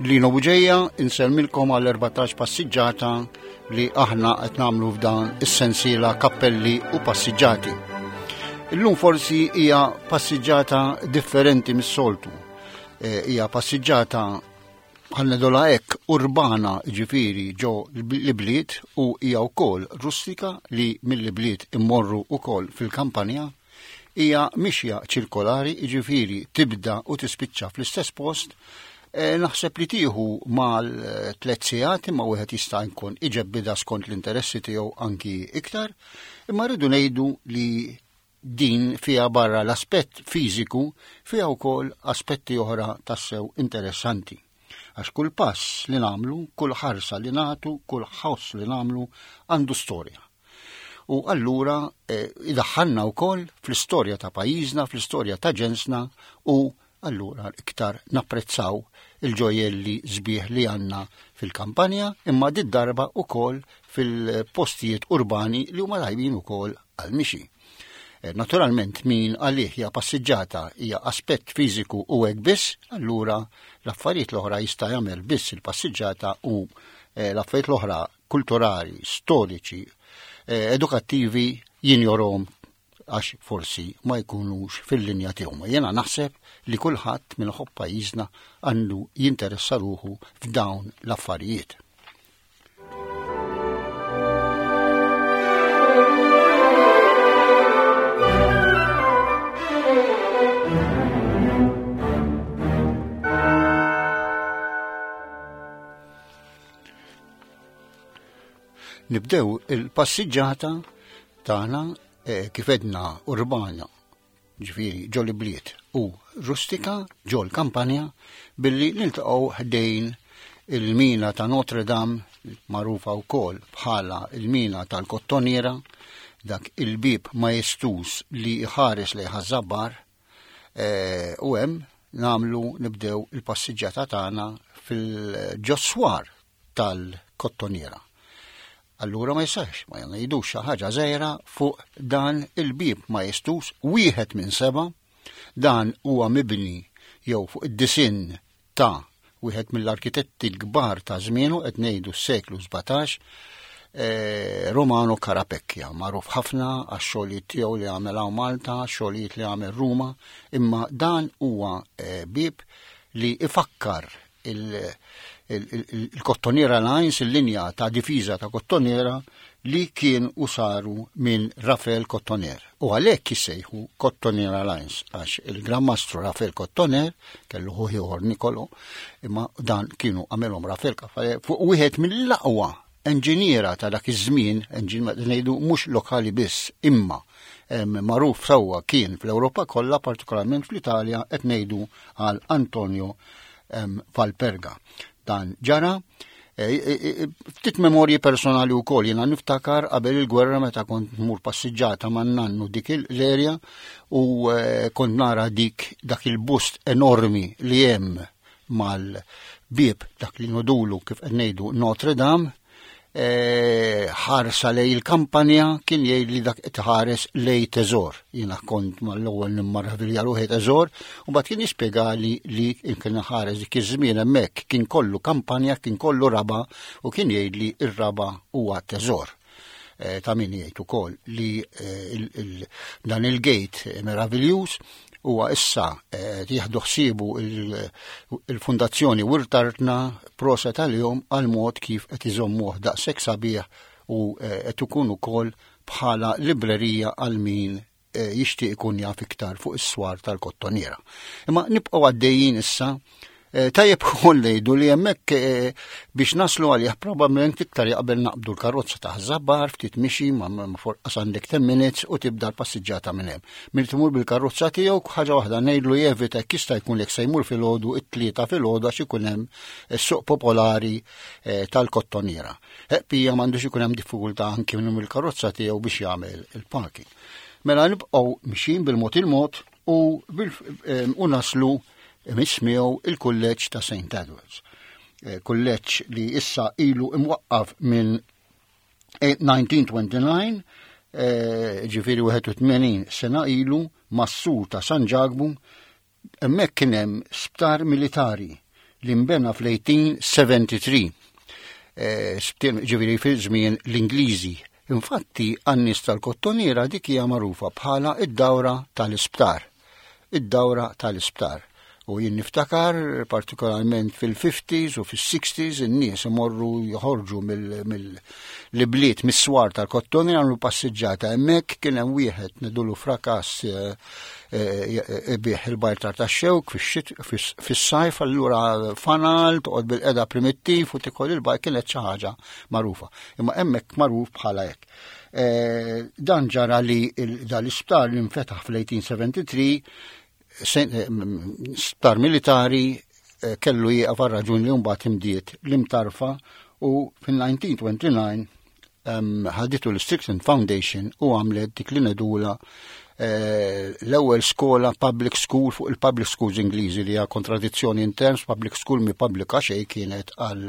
Lino Buġeja, insellmilkom għal 14 passiġġata li aħna qed nagħmlu f'dan is-sensiela kappelli u passiġġati. Illum forsi hija passiġġata differenti mis-soltu. Eh, hija passiġġata ħannedola hekk urbana ġifieri ġo l-bliet u hija wkoll rustika li mill-bliet immorru wkoll fil-kampanja Hija mixja ċirkolari, jiġifieri tibda u tispiċċa fl-istess post. E, naħseb li tieħu mal-tlet sigħat imma wieħed jista' jkun iġebbida skont l-interessi tiegħu anki iktar. Imma rridu ngħidu li din fiha barra l-aspett fiżiku fiha wkoll aspetti oħra tassew interessanti. Għax kull pass li nagħmlu, kull ħarsa li nagħtu, kull ħoss li nagħmlu għandu storja. U allura eh, idaħħalna wkoll fl-istorja ta' pajjiżna, fl-istorja ta' ġensna u allura iktar napprezzaw il-ġojelli sbieħ li għanna fil-kampanja imma did darba ukoll fil-postijiet urbani li huma tajbin ukoll għal-mixi. Eh, naturalment min għalih hija passiġġata hija aspett fiżiku u hekk biss, allura l-affarijiet l-oħra jista' jagħmel biss il-passiġġata u eh, l-affarijiet l-oħra kulturali, storiċi, eh, edukattivi jinjorhom għax forsi ma jkunux fil-linja tiegħu. Jena naħseb li kulħadd minn ħobb pajjiżna għandu jinteressa ruħu f'dawn l-affarijiet. Nibdew il-passiġġata tagħna eh, kif edna urbana, ġifieri ġol bliet u rustika ġol kampanja billi niltaqgħu ħdejn il-mina ta' Notre Dame magħrufa wkoll bħala il-mina tal-Kottoniera, dak il-bib majestuż li jħares lejn Ħaż-Żabbar, eh, u hemm nagħmlu nibdew il-passiġġata tagħna fil-ġoswar tal-kottoniera. Allura ma jistax, ma jgħidux xi ħaġa żgħira fuq dan il-bieb majestuż wieħed minn seba' dan huwa mibni jew fuq id-disinn ta' wieħed mill-arkitetti l-kbar ta' żmienu qed ngħidu s-seklu 17 eh, Romano Carapecchia, magħruf ħafna għax-xogħlijiet tiegħu li għamel hawn Malta, xogħlijiet li għamel Ruma, imma dan huwa eh, bieb li ifakkar il-Kottoniera Lines, il-linja ta' difiża ta' Kottoniera li kien u saru minn Rafael Kottoner. U għalhekk jissejħu Kottoniera Lines għax il-Gran Mastru Rafael Kottoner kellu ħuh ieħor Nikolo, imma dan kienu għamilhom Rafael fuq wieħed mill-aqwa enġiniera ta' dak iż-żmien, ngħidu mhux lokali biss, imma magħruf sewwa kien fl-Ewropa kollha, partikolarment fl-Italja, qed ngħidu għal Antonio Valperga. Dan ġara e, e, e, ftit memorji personali u kol, jena niftakar qabel il-gwerra meta kont mur passiġġata man nannu dik l-erja u kont nara dik dak il-bust enormi li hemm mal-bieb dak li nodulu kif qed ngħidu Notre Dame, e, ħarsa lej il-kampanja kien jgħid li dak qed ħares lej teżor. Jiena kont mal-ewwel nimmarravilja ruħi teżor u mbagħad kien jispjegali li kien ħares dik iż-żmien hemmhekk kien kollu kampanja, kien kollu raba u kien jgħid li r-raba huwa teżor. Eh, ta' min jgħid ukoll li eh, dan il-gate meraviljuż huwa issa eh, jieħdu ħsiebu il-Fundazzjoni Wirt Artna proset għalihom għal mod kif qed iżommuh daqshekk sabiħ u qed ikun ukoll bħala librerija għal min Eh, jixtieq ikun jaf iktar fuq is-swar tal-kottoniera. Imma nibqgħu għaddejjin issa eh, tajjeb ukoll ngħidu li hemmhekk eh, biex naslu għalih probabbilment iktar jaqbel naqbdu l-karozza ta' żabbar ftit mixi ma forqas għandek 10 minutes u tibda l-passiġġata minn hemm. Min timur bil-karozza tiegħu ħaġa waħda ngħidlu jevita jekk jista' jkun jekk se jmur filgħodu it-tlieta filgħodu għax ikun hemm is-suq popolari tal-kottoniera. Pija m'għandux ikun hemm diffikultà anki minn il-karozza tiegħu biex jagħmel il-parking. Mela nibqgħu mixin bil-mod il-mod u, u naslu mismiegħu il-kulleġġ ta' St. Edwards. Eh, kulleġġ li issa ilu imwaqqaf minn 1929, eh, ġifiri 81 sena ilu, mas-sur ta' San Ġakbu, hemmhekk kien hemm sptar militari. li nbena fl-1873. Eh, ġifieri fil-żmien l-Ingliżi. Infatti, għan-nies tal-Kottonera dik hija magħrufa bħala id-dawra tal-isptar. Id-dawra tal-isptar. U jien niftakar partikolarment fil-50s u fis-60s in-nies imorru joħorġu mill-bliet mis-swar tal-Kottonera għamlu passiġġata hemmhekk kien hemm wieħed ngħidulu frakas eh, eh, ibih il-bajtar tax-xewk fis-sajf allura fanal toqgħod bil-qeda primittiv u tikol il-bajt kienet xi ħaġa magħrufa. Imma hemmhekk magħruf bħala hekk. Eh, dan ġara li dal-isptar li nfetaħ fl-1873 eh, sptar militari eh, kellu jieqaf għal raġuni li mbagħad imdiet l-imtarfa u fil-1929 ħaditu l-Strickland Foundation u għamlet dik li nedula eh, l-ewwel skola public school fuq il-public schools Ingliżi li hija kontradizzjoni in terms public school mi pubblika xejn kienet għal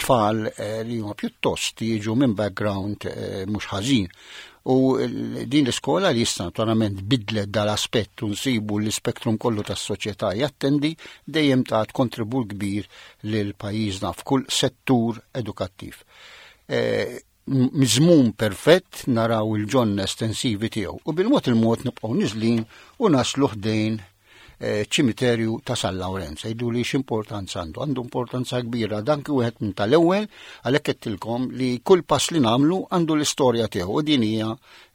tfal eh, li huma pjuttost jiġu minn background eh, mhux ħażin. U din l-iskola li issa naturalment bidlet dal-aspett u nsibu l-ispektrum kollu tas-soċjetà jattendi dejjem tat kontribut kbir lil pajjiżna f'kull settur edukattiv. Eh, miżmum perfett naraw il-ġonna estensivi tiegħu u bil-mod il-mod nibqgħu niżlin u naslu ħdejn eh, ċimiterju ta' San Lawrenz. Jgħidu li x'importanza għandu. Għandu importanza kbira dan kien wieħed minn tal-ewwel għalhekk qedtilkom li kull pass li nagħmlu għandu l-istorja tiegħu u din hija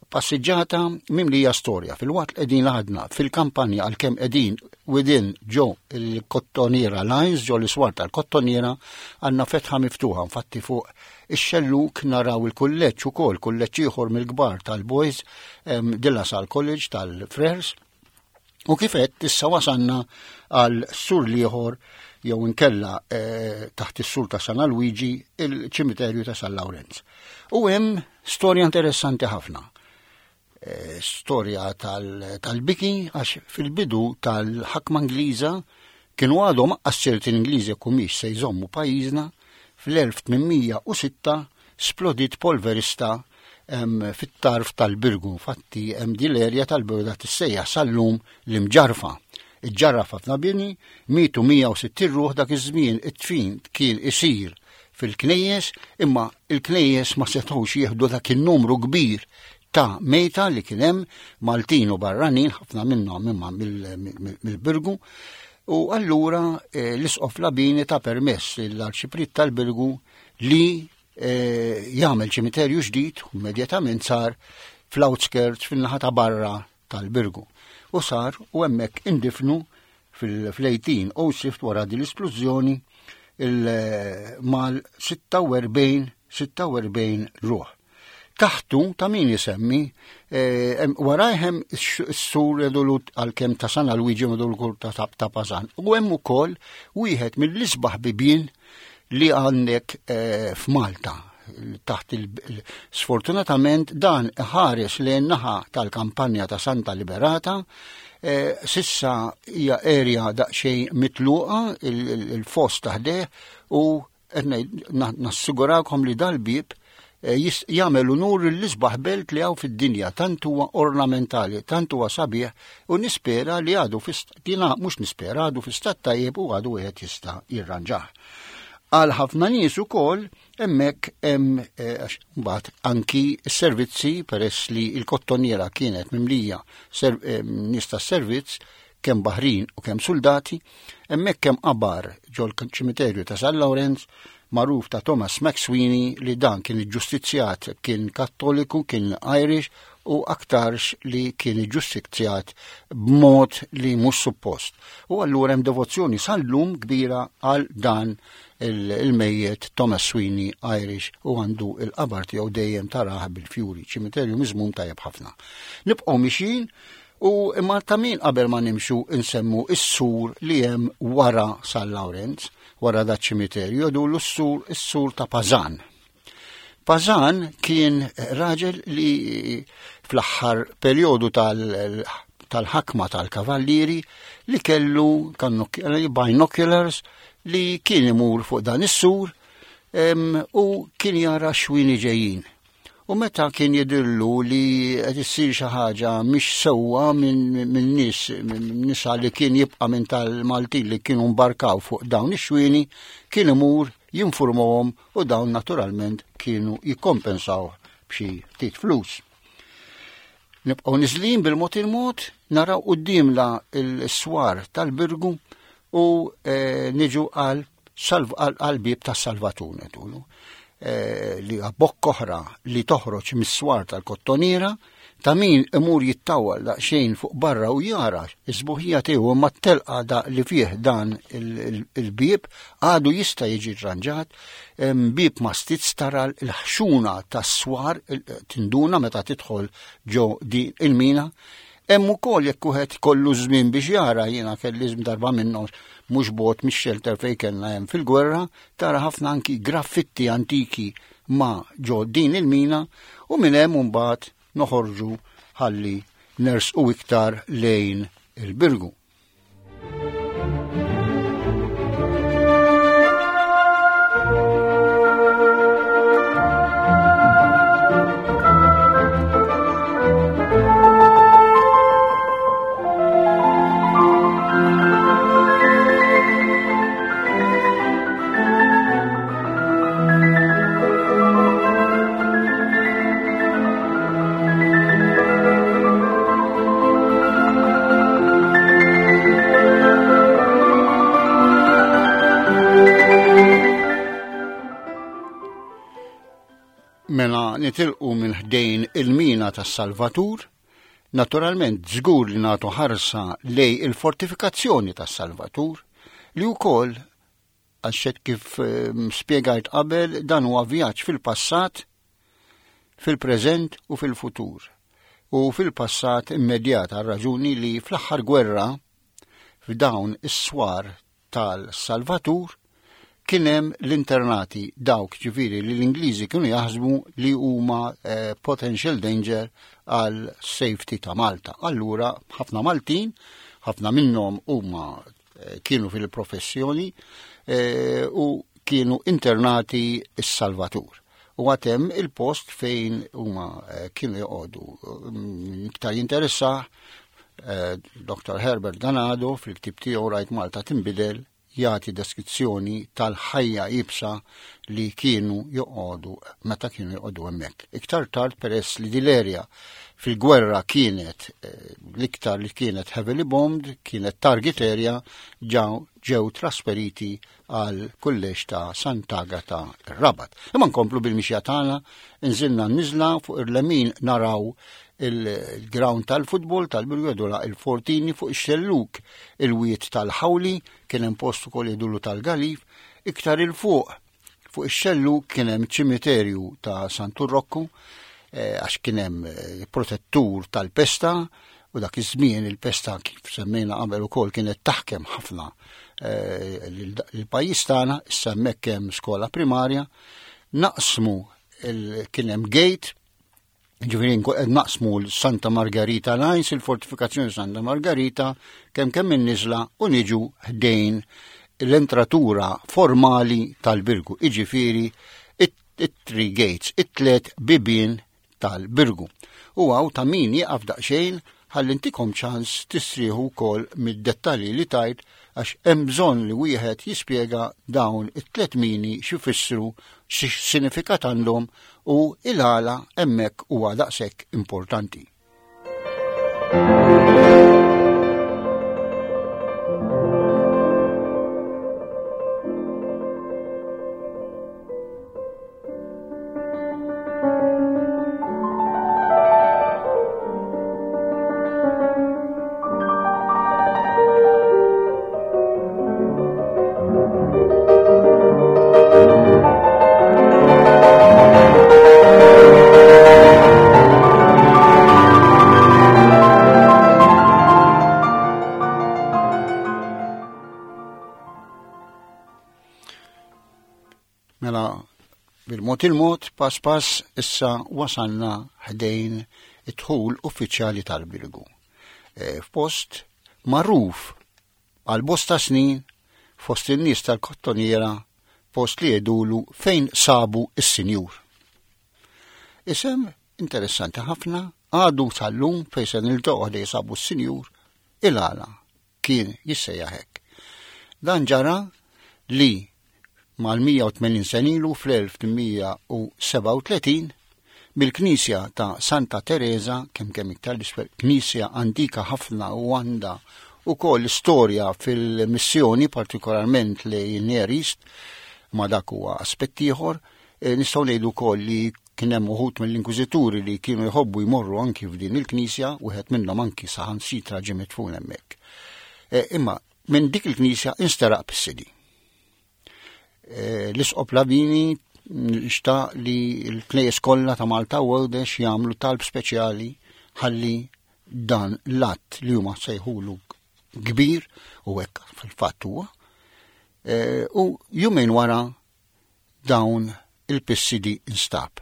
passiġġata mimlija storja. Fil-waqt li qegħdin għadna fil-kampanja għalkemm qegħdin within ġo il-Kottoniera Lines, ġo l-iswar tal-Kottoniera, għandna fetħa miftuħa, infatti fuq ix-xelluk naraw il-kulleġġ ukoll, kulleġġ ieħor mill-kbar tal-Boys, De La Salle College tal-Frers. U kif għedt issa wasanna għal sur liħor jew inkella eh, taħt is-sur ta' San Alwiġi il-ċimiterju ta' San Lawrenz. U hemm storja interessanti ħafna. Eh, storja tal-biki għax fil-bidu tal-ħakma Ingliża kienu għadhom għas-sirti l-Ingliżi kumiex se jżommu pajjiżna fl-1806 splodiet polverista fit-tarf tal-Birgu. Infatti hemm din l-erja tal-Birgu tissejjaħ sal-lum l-Imġarfa. Iġġarraf ħafna bini, mietu 160 ruħ dak iż-żmien it-tfin kien isir fil-knejjes, imma il-knejjes ma setgħux jieħdu dak in-numru kbir ta' mejta li kien hemm Maltin u barranin, ħafna minnhom imma mill-Birgu. U allura eh, l-Isqof Labini ta' permess l-Arċipriet tal-Birgu li eh, jagħmel ċimiterju ġdid u immedjatament sar fl-outskirts fin-naħa ta' barra tal-Birgu. U sar u hemmhekk indifnu fil-1806 wara din l-isplużjoni mal 46 46 ruħ. Taħtu ta' min jisemmi eh, warajhem s-sur edulut għal-kem ta' San Alwiġi madul ta' ta' Pazan. U hemm ukoll wieħed mill-isbaħ bibien li għandek eh, f'Malta taħt il sfortunatament dan ħares lejn naħa tal-kampanja ta' Santa Liberata eh, sissa hija erja daqsxejn mitluqa il-fost taħdeh u nassigurakom li dal-bib eh, jagħmel unur l-isbaħ belt li hawn fid-dinja, tant huwa ornamentali, tant huwa sabiħ u nispera li għadu dina mhux nispera għadu fi stat tajjeb u għadu wieħed jista' jirranġah. Għal ħafna nies ukoll hemmhekk hemm eh, mbagħad anki s-servizzi peress li l-kottoniera kienet mimlija eh, nies tas-servizz kemm baħrin u kemm suldati, hemmhekk hemm qabar ġol ċimiterju ta' San Lawrenz magħruf ta' Thomas McSweeney li dan kien iġġustizzjat kien Kattoliku, kien Irish u aktarx li kien iġġustizzjat b'mod li mhux suppost. U allura hemm devozzjoni sal-lum kbira għal dan il-mejjet Thomas Sweeney Irish u għandu il-qabar tiegħu dejjem taraħ bil-fjuri, ċimiterju miżmum tajjeb ħafna. Nibqgħu mixjin U imma ta' min qabel ma nimxu nsemmu s-sur li hemm wara San Lawrenz, wara da ċimiterju, jgħidulu s-sur is-sur ta' Pazan. Pazan kien raġel li fl-aħħar perjodu tal-ħakma tal-kavallieri li kellu binoculars li kien imur fuq dan is-sur u kien jara xwini ġejjin. U meta kien jidhirlu li qed issir xi ħaġa mhix sewwa minn nies minn nisa li kien jibqa' minn tal-Maltin li kienu mbarkaw fuq dawn ix-xwieni, kien imur jinfurmahom u dawn naturalment kienu jikkompensaw b'xi ftit flus. Nibqgħu niżlin bil-mod il-mod, naraw quddiemna l-swar tal-Birgu u eh, niġu għal għal-bieb tas-Salvatur ngħidulu. Eh, li bokk oħra li toħroġ mis-swar tal-kottoniera ta' min imur jittawal daqsxejn fuq barra u jara s-sbuħija tiegħu imma t-telqa da li fih dan il-bieb għadu jista' jiġi rranġat, bieb ma stizz tara l-ħxuna tas-swar tinduna meta tidħol ġo di il-mina Hemm ukoll jekk wieħed kollu żmien biex jara jiena kelli darba minnhom mhux bogħod mix-xelter fejn kellna hemm fil-gwerra, tara ħafna anki graffitti antiki ma' ġo din il-mina u minn hemm imbagħad noħorġu ħalli nersqu iktar lejn il-Birgu. Mela nitilqu minn ħdejn il-mina tas-Salvatur, naturalment żgur li nagħtu ħarsa lej il-fortifikazzjoni tas-Salvatur li wkoll Għax hekk kif ehm, spjegajt qabel, dan huwa vjaġġ fil-passat, fil-preżent u fil-futur. U fil-passat immedjat għal raġuni li fl-aħħar gwerra f'dawn is-swar tal-Salvatur kien hemm l-internati dawk ġifieri li l-Ingliżi kienu jaħsbu li huma eh, potential danger għal safety ta' Malta. Allura ħafna Maltin, ħafna minnhom huma Eh, kienu fil-professjoni eh, u kienu internati s-Salvatur. U għatem il-post fejn huma eh, kienu joqogħdu. Mm, iktar jinteressa Dr. Herbert Ganado fil-ktib tiegħu Rajt Malta tinbidel jagħti deskrizzjoni tal-ħajja ibsa li kienu joqogħdu meta kienu joqogħdu hemmhekk. Iktar tard peress li din fil-gwerra kienet eh, l-iktar li kienet heavily bombed, kienet target area, ġew ġew trasferiti għal kulleġġ ta' Sant'Agata Rabat. Imma nkomplu bil-mixja tagħna, nżilna n-niżla fuq il-lemin naraw il-ground tal-futbol tal-Birgu il-Fortini fuq ix-xelluk il-wiet tal-Ħawli kien hemm post ukoll jgħidulu tal-Galif, iktar 'il fuq fuq ix-xellug kien hemm ċimiterju ta' Santu Rokku eh, għax kien hemm eh, protettur tal-pesta u dak iż-żmien il-pesta kif semmejna qabel ukoll kienet taħkem ħafna eh, l-pajjiż tagħna, issa hemmhekk hemm skola primarja, naqsmu kien hemm gate Ġifieri qed naqsmu l-Santa Margarita Lines, il-fortifikazzjoni Santa Margarita, kemm kemm in-niżla u niġu ħdejn l-entratura formali tal-Birgu, iġifieri it-three gates, it-tlet bibien tal-Birgu. U għaw ta' min jieqaf daqsxejn ħalli ntikom ċans tistrieħu wkoll mid-dettalji li tajt għax hemm bżonn li wieħed jispjega dawn it-tlet mini x'ifissru, x'sinifikat għandhom u il-għala hemmhekk huwa daqshekk importanti. Mela, bil-mod il-mod, pass pass, issa wasalna ħdejn id-dħul uffiċjali tal-Birgu. E, f'post magħruf għal bosta snin fost in-nies tal-Kottoniera, post li jgħidulu fejn sabu s-sinjur. Isem interessanti ħafna, għadu sal-lum fejn se niltaqgħu ħdej sabu s-sinjur il-għala kien jissejjaħ hekk. Dan ġara li mal-180 sena ilu fl-1837 mill-knisja ta' Santa Teresa, kemm kemm iktar l-isfel, knisja antika ħafna u għandha ukoll istorja fil-missjoni, partikolarment li Near East, ma dak huwa aspett ieħor, e, nistgħu ngħidu wkoll li kien hemm uħud mill-inkwiżituri li kienu jħobbu jmorru anki f'din il-knisja, wieħed minnhom anki saħansitra ġie midfun hemmhekk. E, imma minn dik il-knisja insteraq pissidi. E, l-Isqof Lavini xtaq li l-knejjes kollha ta' Malta u Għawdex jagħmlu talb speċjali ħalli dan l-att li huma sejħulu kbir u hekk fil-fatt huwa. E, u jumejn wara dawn il-pissidi instab.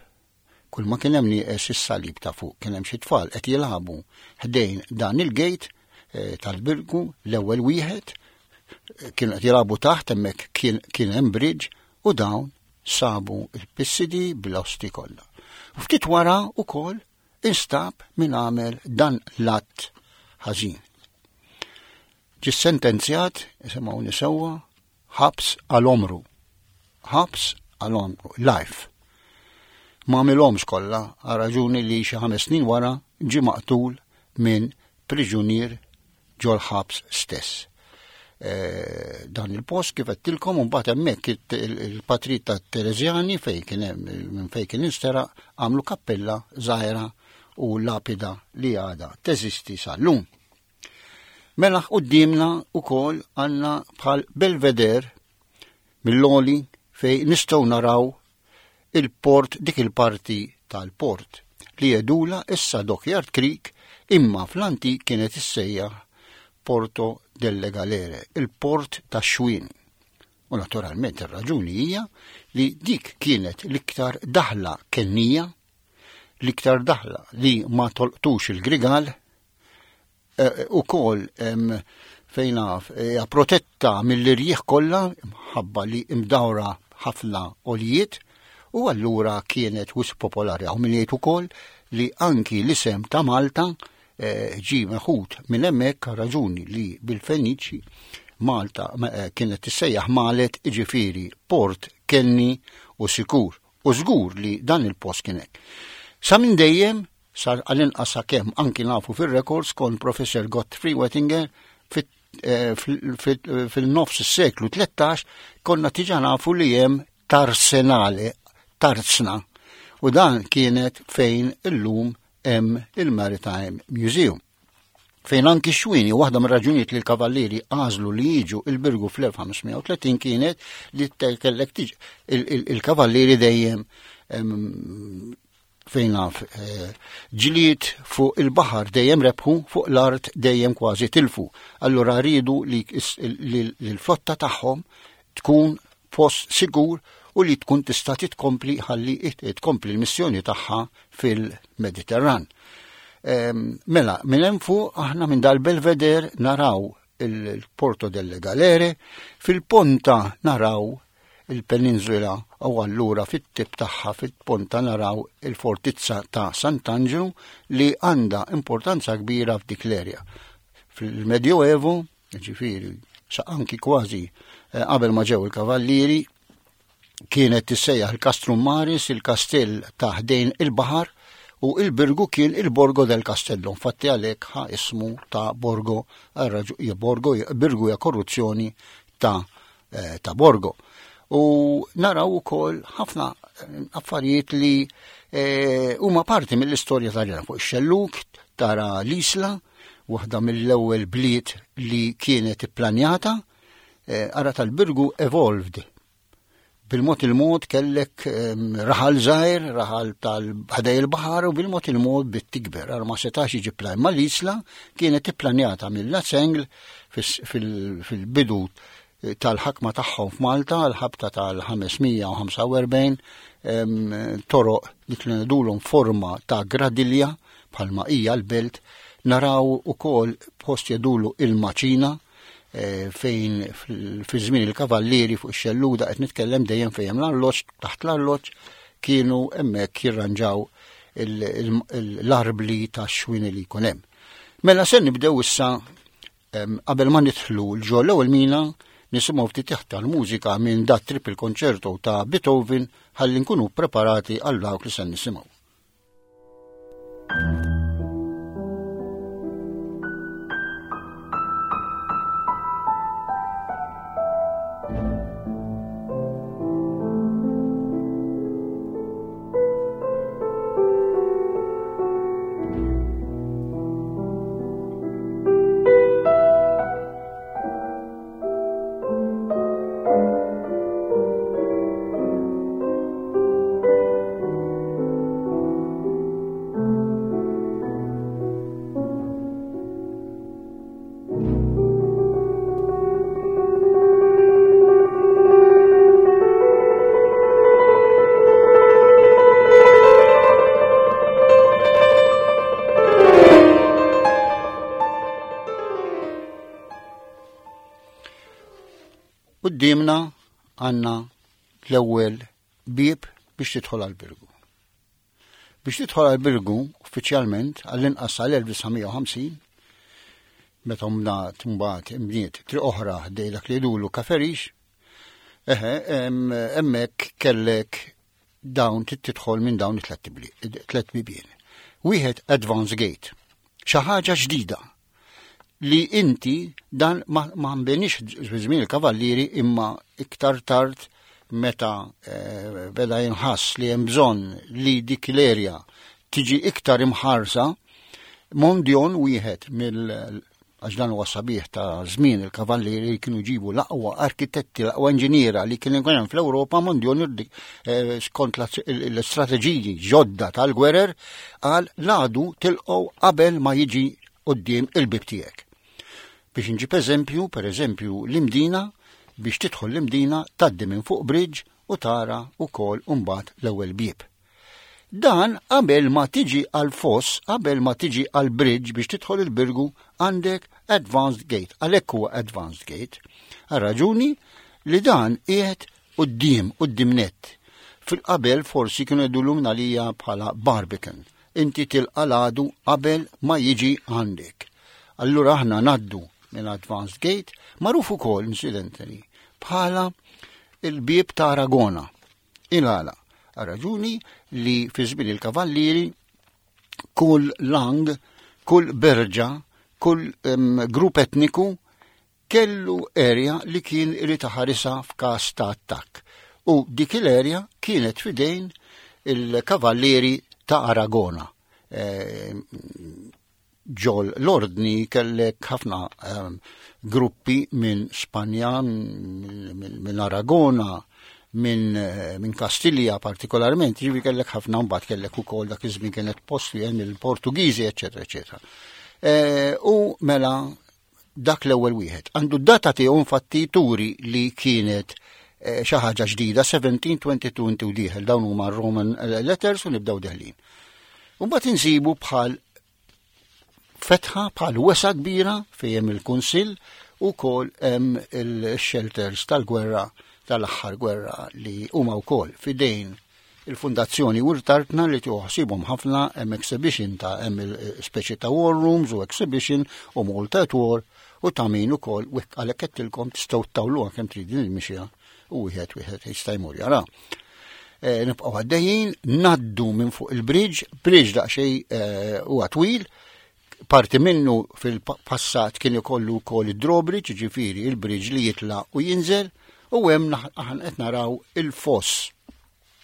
Kull ma kien hemm nieqes is-salib ta' fuq kien hemm xi tfal qed jilagħbu ħdejn dan il-gate eh, tal-Birgu l-ewwel wieħed eh, kienu qed jilagħbu taħt hemmhekk kien kien hemm bridge u dawn sabu il-pissidi bl-osti kollha. U ftit wara wkoll instab min għamel dan l-att ħażin. Ġie sentenzjat, isimgħuni sewwa, ħabs għal omru. Ħabs għal omru, life. Ma għamilhomx kollha għal raġuni li xi ħames snin wara ġie maqtul minn priġunier ġol-ħabs stess. E, dan il-post kif għedtilkom u mbagħad hemmhekk il-patrit ta' Terezjani fejn kien hemm minn fejn kien insteraq għamlu kappella żgħira u lapida li għadha teżisti sal-lum. Mela quddiemna wkoll għandna bħal belveder mill-oli fej nistgħu naraw il-port dik il-parti tal-port li jedula issa Dockyard Creek imma fl-antik kienet issejjaħ Porto delle Galere, il-port tax-xwien. U naturalment ir-raġuni hija li dik kienet l-iktar daħla kennija, l-iktar daħla li ma tolqtux il-grigal, eh, u kol fejn naf hija protetta mill-irjieħ kollha mħabba li imdawra ħafna olijiet u allura kienet wisq popolari. Hawn min jgħid ukoll li anki l-isem ta' Malta eh, ġi meħud minn hemmhekk raġuni li bil-Feniċi Malta eh, kienet tissejjaħ Malet iġifieri port kenni u sikur. U żgur li dan il-post kien hekk. Sa minn dejjem sar għal-inqas sakemm anki nafu fir-records kon Professor Godfrey Wettinger eh, fil-nofs is-seklu 13 konna tiġa nafu li hemm tarsenale, tarzna. U dan kienet fejn illum hemm il-Maritime Museum. Fejn anki xwini, waħda mir-raġunijiet li l-kavallieri għażlu li jiġu il-Birgu fl-1530 kienet li kellek tiġi il-kavallieri dejjem fejn naf eh, ġlied fuq il-baħar dejjem rebħu, fuq l-art dejjem kważi tilfu. Allura rridu li l-flotta tagħhom tkun post sigur u li tkun tista' titkompli ħalli tkompli l-missjoni tagħha fil-Mediterran. Ehm, mela, minn hemm fuq aħna minn dal-Belvedere naraw il-Porto delle Galere, fil-ponta naraw il-peninsula u allura fit-tip tagħha fit-ponta naraw il-fortizza ta' Sant'Anġlu li għandha importanza kbira f'dik l-erja. Fil-Medjoevu, ġifieri, sa anki kważi eh, qabel ma ġew il-kavallieri, kienet tissejjaħ il-Castrum Maris, il-kastell ta' ħdejn il-baħar, u il-Birgu kien il-Borgo del Castello, infatti għalhekk ħa ismu ta' Borgo, Borgo, Birgu hija korruzzjoni ta' eh, ta' Borgo. U naraw ukoll ħafna eh, affarijiet li eh, huma parti mill-istorja ta' fuq ix-xelluk tara l-Isla, waħda mill-ewwel bliet li kienet ipplanjata, ara tal-Birgu evolved bil-mod il-mod kellek ehm, raħal żgħir, raħal tal-ħdej il-baħar u bil-mod il-mod bit tikber. Għal ma setax jiġi plan. Ma l-isla kienet ipplanjata mill-Lazzengl fil-bidu tal-ħakma tagħhom f'Malta l-ħabta tal-545 ehm, toroq li kienu ngħidulhom forma ta' gradilja bħalma hija l-belt naraw ukoll post jedulu il-maċina Eh, fejn fi żmien il-kavallieri fuq ix-xelluda qed nitkellem dejjem fejn hemm l-arloġġ taħt l-arloġġ kienu hemmhekk jirranġaw l-arbli ta' xwini li jkun hemm. Mela se nibdew issa qabel ma nidħlu l-ġo l-ewwel mina nisimgħu ftit tal-mużika minn dat triple concerto ta' Beethoven ħalli nkunu preparati għal dawk li se nisimgħu. Qudiemna għandna l-ewwel bieb biex tidħol għall-Birgu. Biex tidħol għall-Birgu uffiċjalment għall-inqas sal-1950 meta mbagħad mbagħad imbniet triq oħra ħdej dak li jdulu Kaferix, eħe, hemmhekk kellek dawn tidħol minn dawn it-tlet bibien. Wieħed Advance Gate, xi ħaġa ġdida li inti dan ma nbenix żmien il-kavallieri imma iktar tard meta eh, beda jinħass li hemm bżonn li dik l-erja tiġi iktar imħarsa, Mondjon wieħed mill għax dan huwa sabiħ ta' żmien il-kavallieri li kienu jġibu l-aqwa arkitetti, l-aqwa inġiniera li kien hemm fl-Ewropa Mondjon eh, skont l-istrateġiji ġodda tal-gwerer għal l-għadu tilqgħu qabel ma jiġi quddiem il-bib tiegħek. Biex nġib eżempju, per eżempju, l-Imdina, biex tidħol l-Imdina taddi minn fuq bridge u tara wkoll mbagħad l-ewwel bieb. Dan qabel ma tiġi għal foss, qabel ma tiġi għal bridge biex tidħol il-birgu għandek advanced gate, għalhekk huwa advanced gate. Għal raġuni li dan qiegħed quddiem, quddiem nett. Fil-qabel forsi kienu jgħidulu minn bħala Barbican. Inti tilqa' l-għadu qabel ma jiġi għandek. Allura aħna naddu minn Advanced Gate, magħruf ukoll incidentally bħala il-bieb ta' Aragona. Il-għala, raġuni li fi żmien il-kavallieri kull lang, kull berġa, kull um, grupp etniku kellu area li kien irid iħarisha f'każ ta' attakk u dik il-area kienet f'idejn il-kavallieri ta' Aragona. Eh, ġol l-ordni kellek ħafna eh, gruppi minn Spanja, minn Aragona, minn eh, min Kastilja partikolarment, ġivi kellek ħafna mbagħad kellek ukoll dak iż-żmien kienet post li hemm il-Portugiżi, eċetera, eċetera. U mela dak l-ewwel wieħed. Għandu d-data tiegħu infatti turi li kienet eh, xi ħaġa ġdida 1722 inti u dieħel dawn huma Roman eh, letters u nibdew deħlin. Mbagħad insibu bħal fetħa bħal wesa kbira fejn hemm il-kunsill u kol hemm il-shelters tal-gwerra tal-aħħar gwerra li huma wkoll fidejn Il-Fundazzjoni Wirt Artna li tieħu ħsiebhom ħafna hemm exhibition ta' hemm speċi ta' war rooms u exhibition u Malta at War u ta' min ukoll u hekk għalhekk għedtilkom tistgħu ttawluha kemm trid din il-mixja u wieħed wieħed jista' jmur jara. E, nibqgħu għaddejjin, naddu minn fuq il-bridge, bridge daqsxejn e, huwa twil, parti minnu fil-passat kien ikollu wkoll id-drawbridge, ġifieri il-bridge li jitla' u jinżel, u hemm aħna qed naraw il-foss.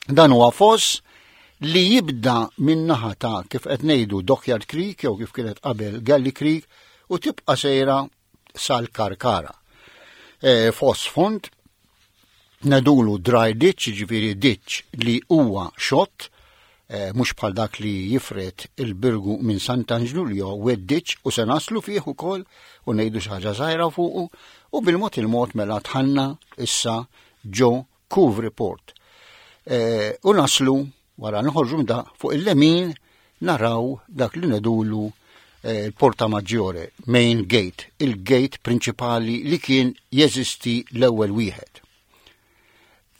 Dan huwa foss li jibda minn naħa ta' kif qed ngħidu Dockyard Creek jew kif kienet qabel Galley Creek u tibqa' sejra sal-Karkara. E, foss fond Ngħidulu dry ditch, jiġifieri ditch li huwa xott, eh, mhux bħal dak li jifred il-Birgu minn Sant'Anġlu li huwa wet ditch u se naslu fih ukoll u ngħidu xi ħaġa żgħira fuqu u bil-mod il-mod mela tħanna issa ġo Couvre Port. Eh, u naslu Wara noħorġu minn da fuq il-lemin naraw dak li nedulu eh, il-Porta Maggiore, main gate, il-gate prinċipali li kien jeżisti l-ewwel wieħed.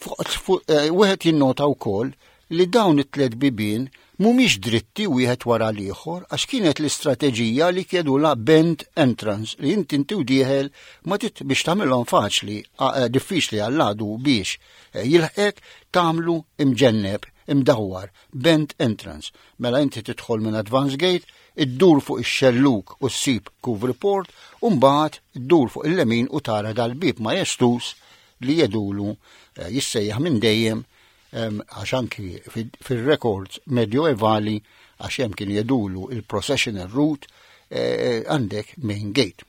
Eh, wieħed jinnota wkoll li dawn it-tliet bibien Mhumiex dritti wieħed wara l-ieħor għax kienet l-istrateġija li kiedula bend entrance li inti inti u dieħel ma tit biex tagħmilhom faċli eh, diffiċli għall-għadu biex eh, jilħqek tagħmlu imġenneb imdawwar bend entrance. Mela inti tidħol minn advance gate, iddur fuq ix-xelluk u ssib Couvre Port u mbagħad iddur fuq il-lemin u tara dal-bieb majestus li jedulu eh, jissejjaħ minn dejjem għax anki fil-records medjoevali għax hemm kien jedulu il-processional route eh, għandek main gate.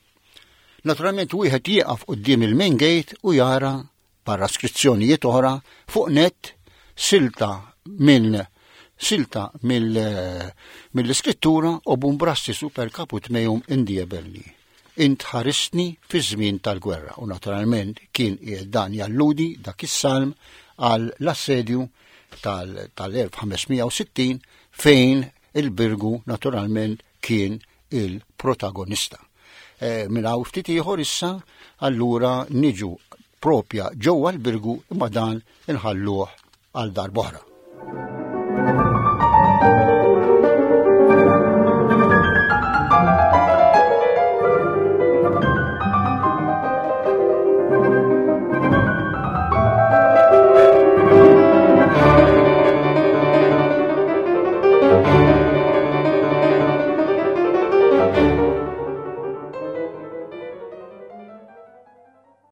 Naturalment wieħed jieqaf quddiem il-main gate u jara barra skrizzjonijiet oħra fuq net silta minn silta mill-iskrittura u bumbrassi super caput meum indie belli. Int ħaristni fi żmien tal-gwerra u naturalment kien dan jalludi dak is-salm għal l-assedju tal-1560 fejn il-Birgu naturalment kien il-protagonista. E, minn hawn ftit ieħor issa allura niġu propja ġewwa l-Birgu imma dan inħalluh għal darb'oħra.